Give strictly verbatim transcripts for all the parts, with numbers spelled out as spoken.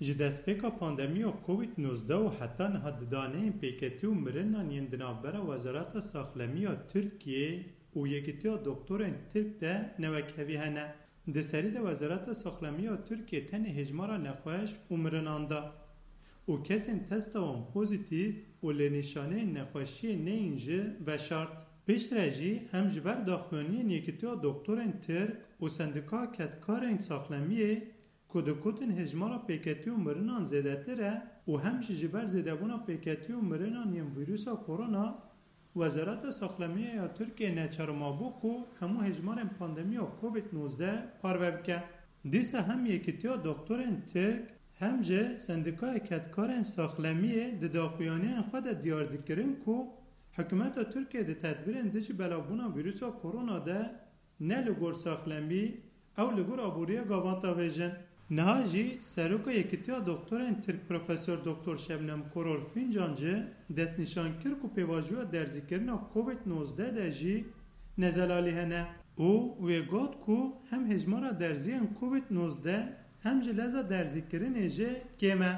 Ji destpêka pandemiya Covid nozdeh û heta niha di daneyên pêketî û mirinan yên di navbera Wezareta Saxlemiya Tirkiyê û Yekîtiya Doktorên Tirk de newekhevî hene. Di serî de Wezareta Saxlemiya Tirkiyê tenê hêjmara nexweş û mirinan da û kesên testa wan pozîtîf û li nîşaneyên nexweşiyê neyên jî veşart. Piştre jî hem ji ber daxuyaniyên Yekîtiya Doktorên Tirk û Sendîkaya Kedkarên Saxlemiyê ku digotin hêjmara pêketî û mirinan zêdetir e û hem jî ji ber zêdebûna pêketî û mirinan yên vîrusa korona, Wezareta Saxlemiyê ya Tirkiyê neçar mabû ku hemû hêjmarên pandemiya Covid nozdeh parve bike. Dîsa hem Yekîtiya Doktorên Tirk hem jî Sendîkaya Kedkarên Saxlemiyê di daxuyaniyên xwe de diyar dikirin ku hikûmeta Tirkiyê di tedbîrên dijî belavbûna vîrusa korona de ne li gor saxlemî, ew li gor aboriya gavan davêjin. Niha jî Seroka Yekîtiya Doktorên Tirk Profesor Doktor Şebnem Koror Fincancî destnîşan kir ku pêvajoya derzîkirina Covid nozdeh de jî nezelalî hene û wê got ku hem hêjmara derziyên Covid nozdeh hem jî leza derzîkirinê jî kêm e.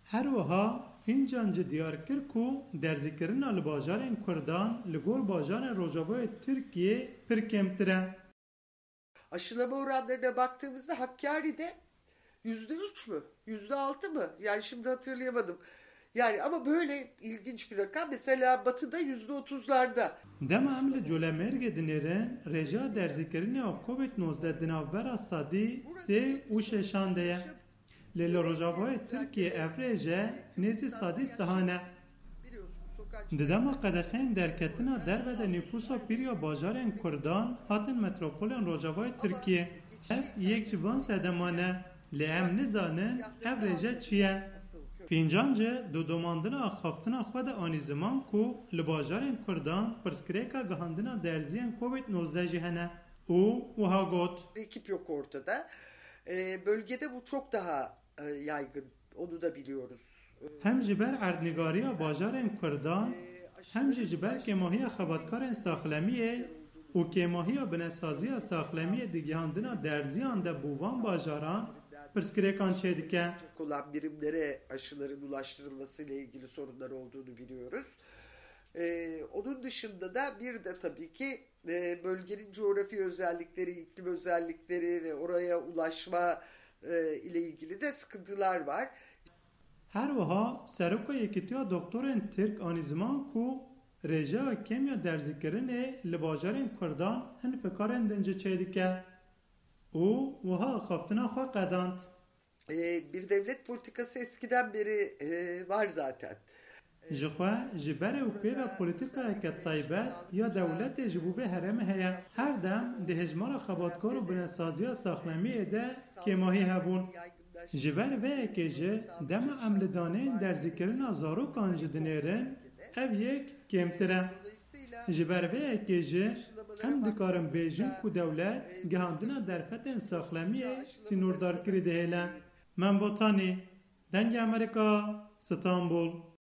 Her wiha Fincancî diyar kir ku derzîkirina li bajarên Kurdan li gor bajarên Rojavayê Tirkiyê pir kêmtir e. Aşılama oranlarına baktığımızda Hakkari'de yüzde üç mü? Yüzde altı mı? Yani şimdi hatırlayamadım. Yani ama böyle ilginç bir rakam. Mesela Batı'da yüzde otuzlarda. Dema em li Colemêrgê dinêrin, rêjeya derzîkirinê ya Covid nozdeh di navbera sedî sê û şeşan de ye. Lê li Rojavayê Tirkiyê ev rêje nêzî sedî sehan e. Di dema qedexeyên derketina derve de nîfûsa pîr ya bajarên Kurdan hatin metropolên Rojavayê Tirkiyê. Ev yek ji van sedeman e, lê em nizanin ev rêje çi ye. Fincancî di domandina axaftina xwe de anî ziman ku li bajarên Kurdan pirsgirêka gihandina derziyên Covid nozdeh jî hene û wiha got. Ekip yok ortada. E, bölgede bu çok daha e, yaygın. Onu da biliyoruz. Hem ji ber erdnîgariya bajarên Kurdan, hem jî ji ber kêmahiya xebatkarên saxlemiyê û kêmahiya binesaziya saxlemiyê di gihandina derziyan de bo van bajaran pirsgirêkan çêdike. Olan birimlere aşıların ulaştırılması ile ilgili sorunlar olduğunu biliyoruz. Ee, onun dışında da bir de tabii ki e, bölgenin coğrafi özellikleri, iklim özellikleri ve oraya ulaşma e, ile ilgili de sıkıntılar var. Her wiha Seroka Yekîtiya Doktorên Tirk anî ziman ku rêjeya kêm ya derzîkirinê li bajarên Kurdan hin fikarên din jî çêdike û wiha axaftina xwe qedand. E, bir devlet politikası eskiden beri e, var zaten. Ji xwe, ji berê û pê ve polîtîkayeke taybet ya dewletê ji bo vê herêmê heye. Her dem di hejmara xebatkar û binesaziya saxlemiyê de kêmahî hebûn. Ji ber vê yekê jî dema em li daneyên derzîkirina zarokan jî dinêrin, ev yek kêmtir e. Ji ber vê yekê jî em dikarin bêjin ku dewlet gihandina derfetên saxlemiyê sînordarkirî dihêle. Mem Botanî, Dengê Amerîka, Stenbul.